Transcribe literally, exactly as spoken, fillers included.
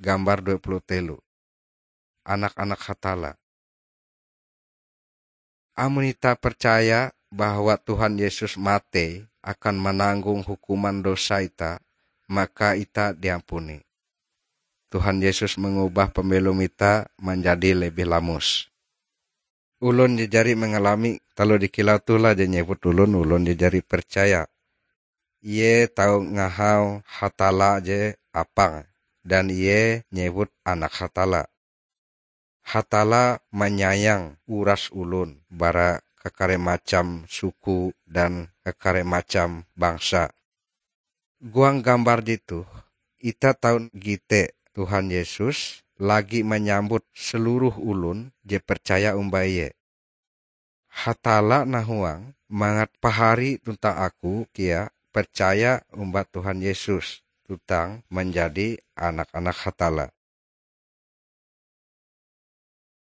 gambar dua puluh telu. Anak-anak Hatalla. Amon itah percaya bahwa Tuhan Yesus matei akan mananggong hukuman dosa itah, maka itah diampuni. Tuhan Yesus mengubah pambelom itah manjadi lebih lamus. Ulon je jari mangalami taloh je kilau toh lah je nyewut ulon, ulon je jari percaya. Ie tau ngahau Hatalla je apang, dan ie nyewut Anak Hatalla. Hatalla manyayang uras ulon bara kakare macam suku dan kakare macam bangsa. Huang gambar jetoh, itah tau gite Tuhan Yesus lagi manyambut seluruh ulon je percaya omba Ie. Hatalla nahuang mangat pahari tuntang aku kea percaya omba Tuhan Yesus tuntang manjadi anak-anak Hatalla.